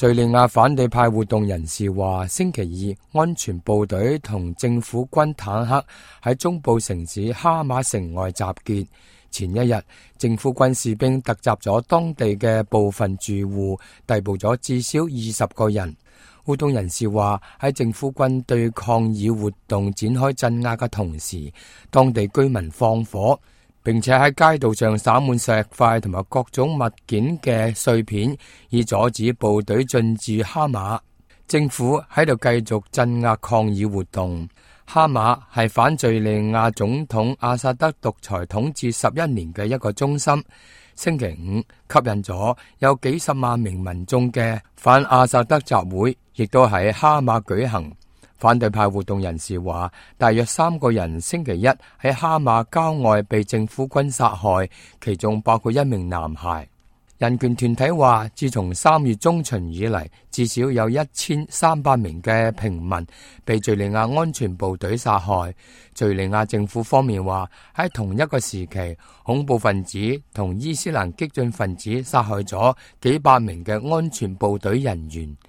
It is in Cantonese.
敘利亞反對派活動人士話，星期二安全部隊同政府軍坦克喺中部城市哈馬城外集結。前一日，政府軍士兵突襲咗當地嘅部分住戶，逮捕咗至少20個人。活動人士話，喺政府軍對抗議活動展開鎮壓嘅同時，當地居民放火，並且喺街道上灑滿石塊同埋各種物件嘅碎片，以阻止部隊進駐哈馬。政府喺度繼續鎮壓抗議活動。哈馬係反敘利亞總統阿薩德獨裁統治11年嘅一個中心。星期五吸引咗有幾十萬名民眾嘅反阿薩德集會，亦都喺哈馬舉行。反對派活動人士話，大約3個人星期一喺哈馬郊外被政府軍殺害，其中包括一名男孩。人權團體話，自從3月中旬以嚟，至少有1300名嘅平民被敘利亞安全部隊殺害。敘利亞政府方面話，喺同一個時期，恐怖分子同伊斯蘭激進分子殺害咗幾百名嘅安全部隊人員。